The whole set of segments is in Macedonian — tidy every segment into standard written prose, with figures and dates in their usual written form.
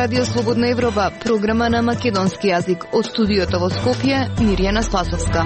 Радио Слободна Европа, програма на македонски јазик. Од студиото во Скопје, Мирјана Спасовска.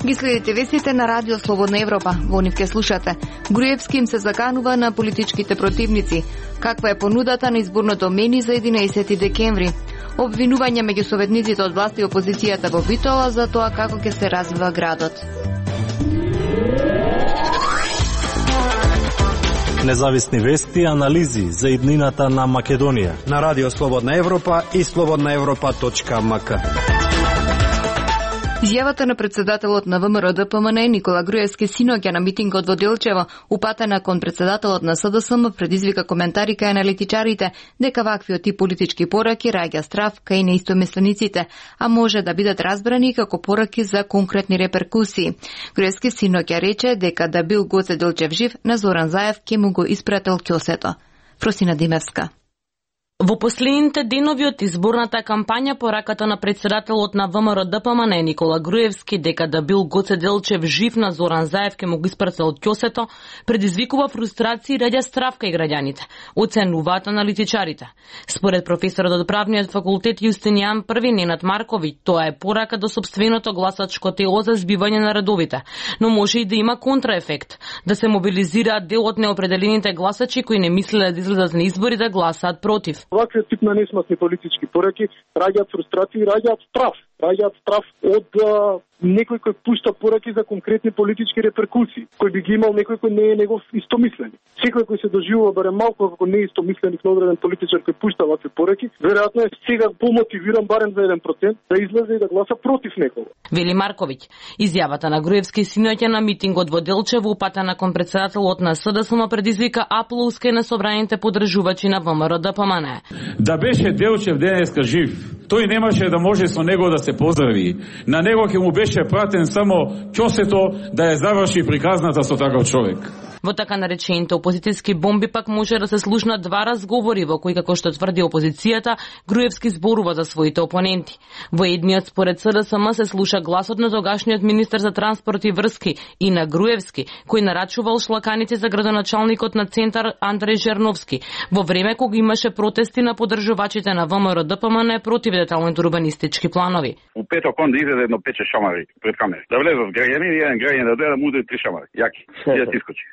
Ги следите вестите на Радио Слободна Европа. Во нив ке слушате. Груевски им се заканува на политичките противници. Каква е понудата на изборното мени за 11 декември? Обвинување меѓу советниците од власт и опозицијата во Битола за тоа како ќе се развива градот. Независни вести и анализи за иднината на Македонија на Радио Слободна Европа и slobodnaevropa.mk. Изјавата на председателот на ВМРО ДПМН Никола Груевски синоќа на митингот во Делчево, упатена кон председателот на СДСМ, предизвика коментари кај аналитичарите дека ваквиот тип политички пораки раѓа страв кај неистомислениците, а може да бидат разбрани како пораки за конкретни реперкусии. Груевски синоќа рече дека да бил Гоце Делчев жив, на Зоран Заев ќе му го испратил ќосето. Фросина Димевска. Во последните денови од изборната кампања, пораката на председателот на ВМРО ДПМН Никола Груевски дека да бил Гоце Делчев жив, на Зоран Заев ке му го испратил ќосето, предизвикува фрустрација и раѓа страв кај граѓаните, оценуваат аналитичарите. Според професорот од правниот факултет Јустинијан I Ненад Марковиќ, тоа е порака до сопственото гласачко тело за збивање на редовите, но може и да има контраефект, да се мобилизираат дел од неопределените гласачи кои не мислеле да излезат на избори да гласаат против. Ваквиот тип на несматни политички пораки раѓаат фрустрација и раѓаат страв од некој кој пушта пораки за конкретни политички реперкусии, кој би ги имал некој кој не е негов истомислени. Секој кој се доживува барем малку како не е истомисленик на одреден политичар кој пушта вакви пораки, веројатно е сега помотивиран барем за 1% да излезе и да гласа против некого. Вели Марковиќ. Изјавата на Груевски синоќа на митингот во Делчево, упатена кон председателот на СДСМ, предизвика аплауз кај насобраните поддржувачи на ВМРО ДПМН. Да беше Делчев денеска жив, тој немаше да може со него да се поздрави. На него ќе му беше пратен само ќосето да ја заврши приказната со таков човек. Во така наречените опозицијски бомби пак може да се слушнат два разговори во кои, како што тврди опозицијата, Груевски зборува за своите опоненти. Во едниот според СДСМ се слуша гласот на тогашниот министер за транспорт и врски и на Груевски, кој нарачувал шлаканици за градоначалникот на Центар Андреј Жерновски, во време кога имаше протести на поддржувачите на ВМРО ДПМН против деталните урбанистички планови. У петок он да излезе едно 5-6 шамари пред камера. Да влезат граѓани и еден граѓанин да дојде да му удари 3 шамари. Јаки. И да се искочи.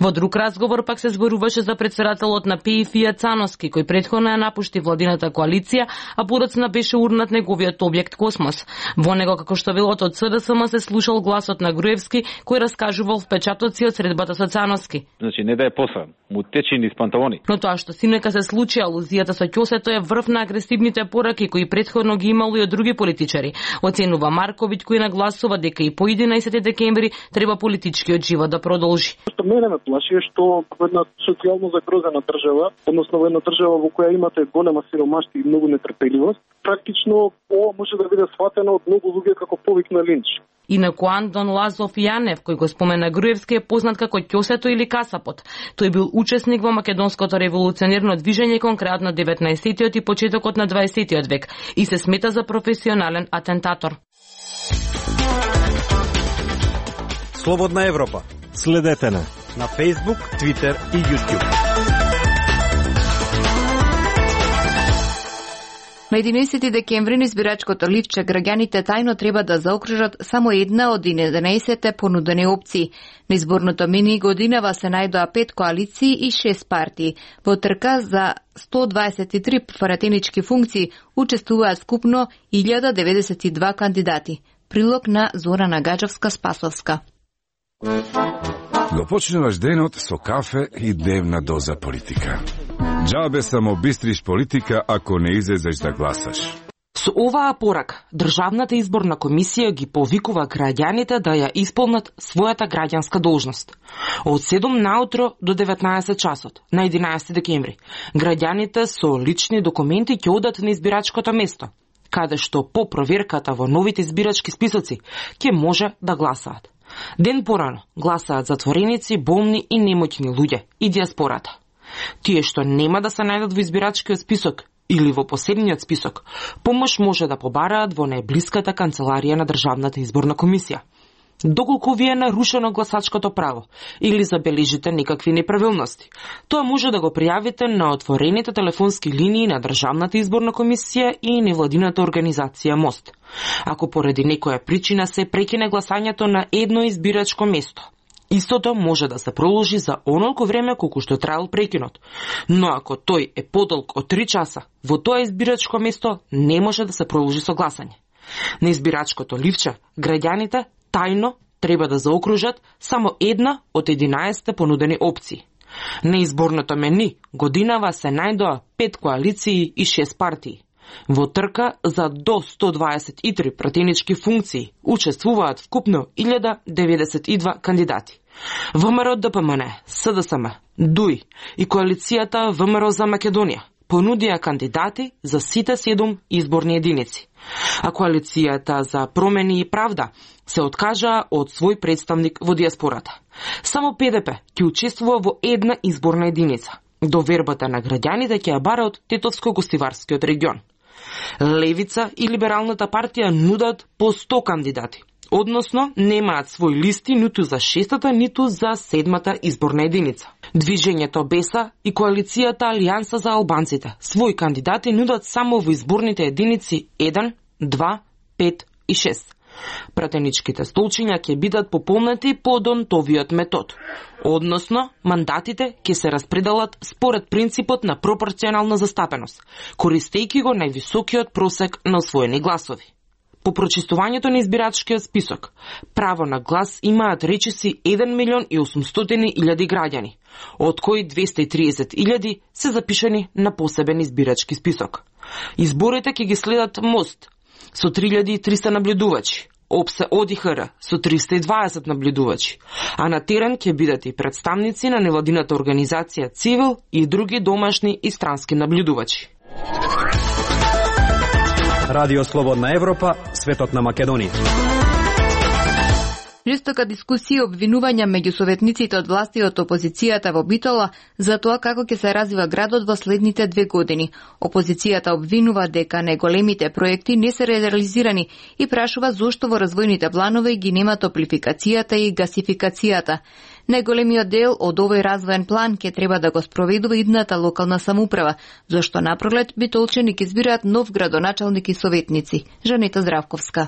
Во друг разговор пак се зборуваше за председателот на ПИФ Цановски, кој претходно ја напушти владината коалиција, а подоцна беше урнат неговиот објект Космос. Во него, како што велот од СДСМ, се слушал гласот на Груевски, кој раскажувал впечатоци од средбата со Цановски. Значи не да е посран, му течи низ панталони. Но тоа што синоќа се случи, алузијата со ќосето е врв на агресивните пораки кои претходно ги имало и од други политичари. Оценува Марковиќ, кој нагласува дека и по 11 декември треба политичкиот живот да продолжи. Мене ме плаши што во една социјално загрозена држава, односно во една држава во која имате голема сиромаштво и многу нетрпеливост, практично ова може да биде сватено од многу луѓе како повик на линч. Инаку Антон Лазов Јанев, кој го спомена Груевски, е познат како ќосето или касапот. Тој бил учесник во македонското револуционерно движење кон крајот на 19-тиот и почетокот на 20-тиот век и се смета за професионален атентатор. Слободна Европа. Следете на Facebook, Twitter и YouTube. На 11 декември на избирачкото ливче граѓаните тајно треба да заокружат само една од 11 понудени опции. На изборното мини годинава се најдоа 5 коалиции и 6 партии. Во трка за 123 пратенички функции учествуваат скупно 1092 кандидати. Прилог на Зорана Гаджевска-Спасовска. Го почнуваш денот со кафе и дневна доза политика. Џабе само бистриш политика ако не излезеш да гласаш. Со оваа порака, Државната изборна комисија ги повикува граѓаните да ја исполнат својата граѓанска должност. Од 7 наутро до 19 часот, на 11 декември, граѓаните со лични документи ќе одат на избирачкото место, каде што по проверката во новите избирачки списоци ќе може да гласаат. Ден порано гласаат затвореници, болни и немоќни луѓе и диаспората. Тие што нема да се најдат во избирачкиот список или во посебниот список, помош може да побараат во најблиската канцеларија на Државната изборна комисија. Доколку ви е нарушено гласачкото право или забележите некакви неправилности, тоа може да го пријавите на отворените телефонски линии на Државната изборна комисија и невладината организација МОСТ. Ако поради некоја причина се прекине гласањето на едно избирачко место, истото може да се проложи за онолку време колку што траел прекинот, но ако тој е подолг од 3 часа, во тоа избирачко место не може да се проложи со гласање. На избирачкото ливче, граѓаните тајно треба да заокружат само една од 11 понудени опции. На изборното мени годинава се најдоа 5 коалиции и 6 партии. Во трка за до 123 пратенички функции учествуваат вкупно 1092 кандидати. ВМРО ДПМН, СДСМ, ДУИ и коалицијата ВМРО за Македонија понудија кандидати за сите 7 изборни единици, а коалицијата за промени и правда се откажа од свој представник во диаспората. Само ПДП ќе учествува во една изборна единица. Довербата на граѓаните ќе ја бара од Тетовско-Гостиварскиот регион. Левица и Либералната партија нудат по 100 кандидати, односно немаат свој листи ниту за 6-та, ниту за 7-та изборна единица. Движењето БЕСА и коалицијата Алијанса за албанците своји кандидати нудат само во изборните единици 1, 2, 5 и 6. Пратеничките столчиња ќе бидат пополнети по Донтовиот метод, односно мандатите ќе се распределат според принципот на пропорционална застапеност, користејќи го највисокиот просек на освоени гласови. По прочистувањето на избирачкиот список, право на глас имаат речиси 1.800.000 граѓани, од кои 230.000 се запишани на посебен избирачки список. Изборите ќе ги следат МОСТ со 3.300 наблюдувачи, ОПСЕ ОДИХР со 320 наблюдувачи, а на терен ќе бидат и представници на невладината организација Цивил и други домашни и странски наблюдувачи. Радио Слободна Европа, светот на Македонија. Жестока дискусија и обвинувања меѓу советниците од власти и од опозицијата во Битола за тоа како ќе се развива градот во следните 2 години. Опозицијата обвинува дека најголемите проекти не се реализирани и прашува зошто во развојните планови ги нема топлификацијата и гасификацијата. Најголемиот дел од овој развоен план ќе треба да го спроведува идната локална самоуправа, зашто напролет битолчани ќе избираат нов градоначалник и советници. Жанета Здравковска.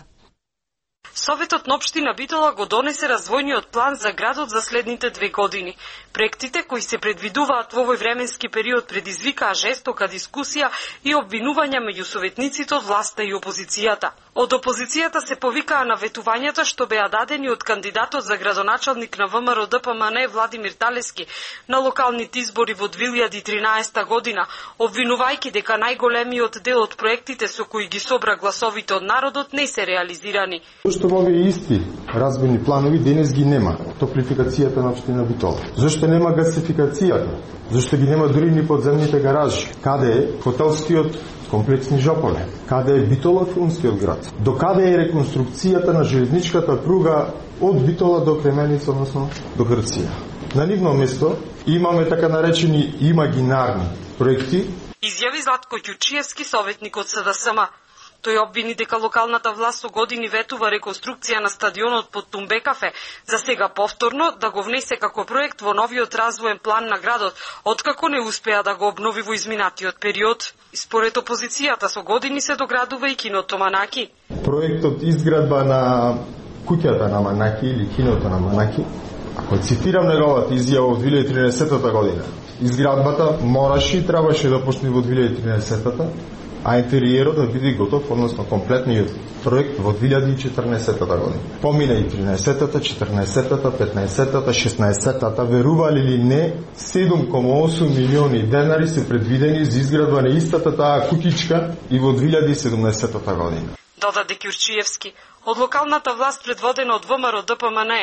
Советот на општина Битола го донесе развојниот план за градот за следните 2 години. Проектите кои се предвидуваат во овој временски период предизвикаа жестока дискусија и обвинувања меѓу советниците од власта и опозицијата. Од опозицијата се повикаа на ветувањата што беа дадени од кандидатот за градоначалник на ВМРО ДПМН Владимир Талески на локалните избори во 2013 година, обвинувајќи дека најголемиот дел од проектите со кои ги собра гласовите од народот не се реализирани. Зошто овие исти развојни планови денес ги нема? Топлификацијата на општина Битола. Зошто нема гасификацијата? Зошто ги нема дури ни подземните гаражи? Каде е хотелскиот комплексни жополе? Каде е Битола филмскиот град? До каде е реконструкцијата на железничката пруга од Битола до Кременица, односно до Грција? На нивно место имаме така наречени имагинарни проекти. Изјави Златко Ѓучиевски, советник од СДСМ. Тој обвини дека локалната власт со години ветува реконструкција на стадионот под Тумбекафе, за сега повторно да го внесе како проект во новиот развоен план на градот, откако не успеа да го обнови во изминатиот период. Според опозицијата со години се доградува и киното Манаки. Проектот изградба на куќата на Манаки или киното на Манаки, ако цитирам неговата изјава од 2013 година, изградбата мораше и требаше да почне во 2013, а интериерот да биде готов, односно комплетниот проект во 2014 година. Помина и 13-та, 14-та, 15-та, 16-та, верували ли не, 7,8 милиони денари се предвидени за изградба на истата таа кутичка и во 2017 година. Додаде Ѓурчиевски. Од локалната власт предводена од ВМРО ДПМН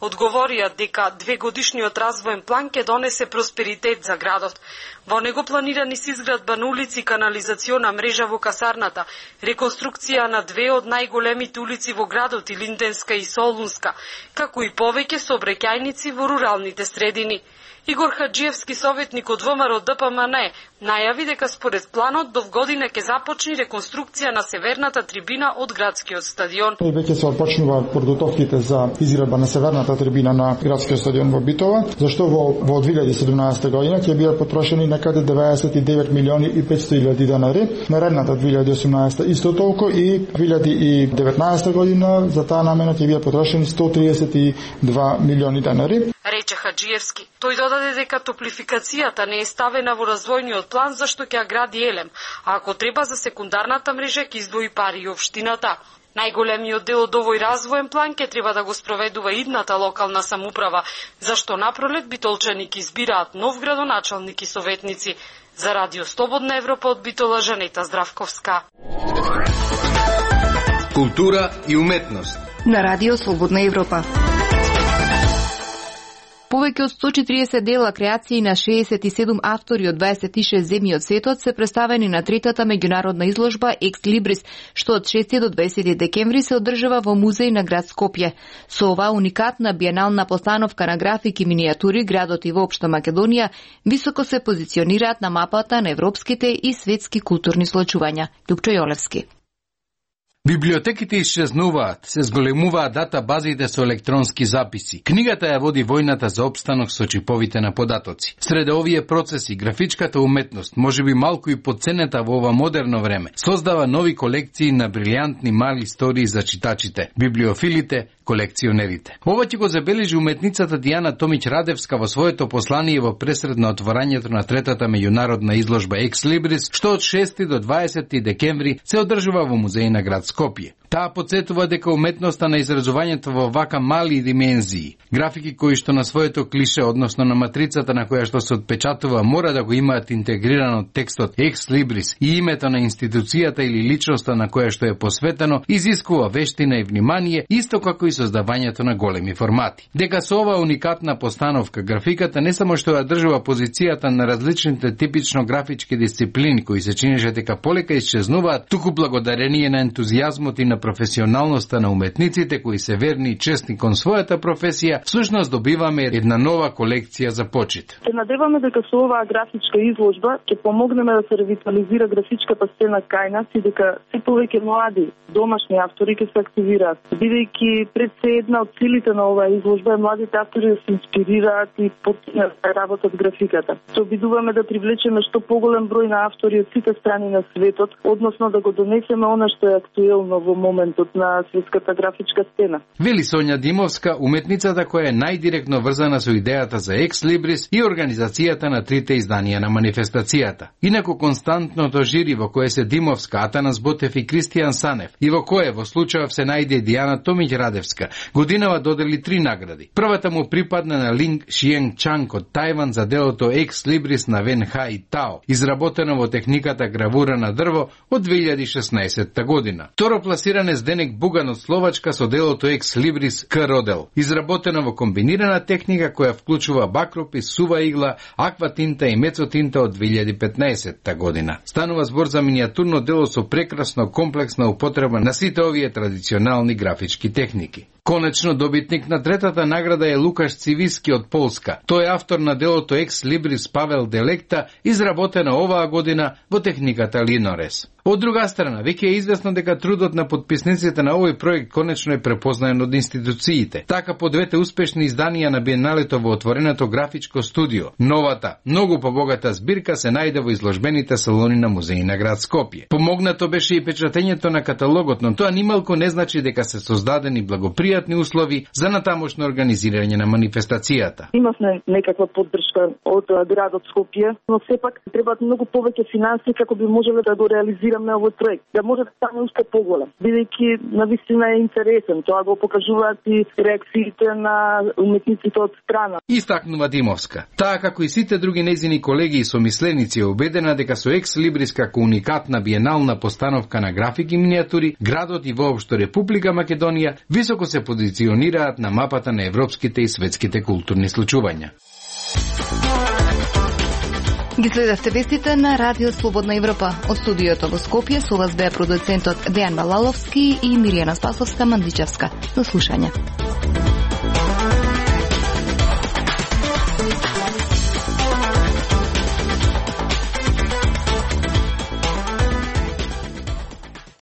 одговорија дека 2-годишниот развоен план ќе донесе просперитет за градот. Во него планирани се изградба на улици и канализациона мрежа во касарната, реконструкција на 2 од најголемите улици во градот, Илинденска и Солунска, како и повеќе сообраќајници во руралните средини. Игор Хаджиевски, советник од ВМРО ДПМН, најави дека според планот до година ќе започне реконструкција на северната трибина од градскиот стадион. ноември веќе се почнува подготовките за изградба на северната трибина на градскиот стадион во Битола, зашто во 2017 година ќе бидат потрошени некаде 99 милиони и 500 илјади денари, наредната 2018 исто толку и 2019 година за таа намена ќе бидат потрошени 132 милиони денари. Рече Хаджиевски. Тој додаде дека топлификацијата не е ставена во развојниот план зашто ќе гради елем, а ако треба за секундарната мрежа ќе издвои пари и општината. Најголемиот дел од овој развоен план ќе треба да го спроведува идната локална самоуправа, зашто напролет битолчани ќе избираат нов градоначалник и советници. За Радио Слободна Европа од Битола, Жанета Здравковска. Култура и уметност. На Радио Слободна Европа. Повеќе од 140 дела креации на 67 автори од 26 земји од светот се представени на третата меѓународна изложба Екс Либрис, што од 6 до 20 декември се одржава во музеј на град Скопје. Со оваа уникатна биенална постановка на графики и минијатури, градот и воопшто Македонија високо се позиционираат на мапата на европските и светски културни случувања. Лјупчо Јолевски. Библиотеките исчезнуваат, се зголемуваат датабазите со електронски записи. Книгата ја води војната за опстанок со чиповите на податоци. Сред овие процеси, графичката уметност, можеби малку и подценета во ова модерно време, создава нови колекции на брилјантни мали истории за читачите, библиофилите, колекционерите. Ова ќе го забележи уметницата Дијана Томиќ-Радевска во своето послание во пресред на отворањето на третата меѓународна изложба Екс Либрис, што од 6 до 20 декември се одржува во музеј на град Скопје. Таа подсетува дека уметноста на изразувањето во вака мали димензии, графики кои што на своето клише, односно на матрицата на која што се отпечатува, мора да го имаат интегрирано текстот Екс Либрис и името на институцијата или личноста на која што е посветено, изискува вештина и внимание, исто како и создавањето на големи формати. Дека со оваа уникатна постановка, графиката не само што ја држува позицијата на различните типично графички дисциплини кои се чинеше дека полека исчезнуваат, туку благодарение на ентузијазмот и на професионалноста на уметниците кои се верни и честни кон својата професија, всушност добиваме една нова колекција за почит. Се надеваме дека со оваа графичка изложба ќе помогнеме да се ревитализира графичката сцена кај нас и дека се повеќе млади домашни автори ќе се активираат. Бидејќи пред се една од целите на оваа изложба е младите автори да се инспирираат и потpunат да работат графиката. Се обидуваме да привлечеме што поголем број на автори од сите страни на светот, односно да го донесеме она што е актуелно во моментот на светската графичка сцена. Вели Сонја Димовска, уметницата која е најдиректно врзана со идејата за Екс Либрис и организацијата на трите изданија на манифестацијата. Инаку константното жири во кое се Димовска, Атанас Ботев и Кристијан Санев и во кое во случајов се најде Дијана Томиќ-Радевска, годинава додели 3 награди. Првата му припадна на Линг Шиенг Чанг од Тајван за делото Екс Либрис на Вен Хај Тао, изработено во техниката гравура на дрво од 2016 година. Второ пласиран е Зденек Буган од Словачка со делото Екс Либрис К Родел, изработено во комбинирана техника која вклучува бакропис, сува игла, акватинта и мецотинта од 2015 година. Станува збор за минијатурно дело со прекрасно комплексна употреба на сите овие традиционални графички техники. Конечно, добитник на третата награда е Лукаш Цивиски од Полска. Тој е автор на делото Екс Либрис Павел Делекта, изработено оваа година во техниката Линорес. Од друга страна, веќе е известно дека трудот на подписниците на овој проект конечно е препознаен од институциите. Така по двете успешни изданија на Биеналето во отвореното графичко студио, новата, многу побогата збирка се најде во изложбените салони на музеи на град Скопје. Помогнато беше и печатењето на каталогот, но тоа нималку не значи дека се создадени благопријатни услови за натамошно организирање на манифестацијата. Имавме некаква поддршка од градот Скопје, но сепак требаат многу повеќе финансии како би можеле да го реализираме овој проект, да може да стане уште поголем. Бидејќи навистина е интересен, тоа го покажуваат и реакциите на уметниците од страна. Истакнува Димовска. Таа како и сите други нејзини колеги и somисленици е убедена дека со Екс Либрис како уникатна биенална постановка на графики и минијатури, градот и воопшто Република Македонија високо се позиционираат на мапата на европските и светските културни случувања. Ги следевте вестите на Радио Слободна Европа. Од студиото во Скопје со вас беа продуцентот Дејан Балаловски и Миријана Спасовска Мандичевска. До слушање.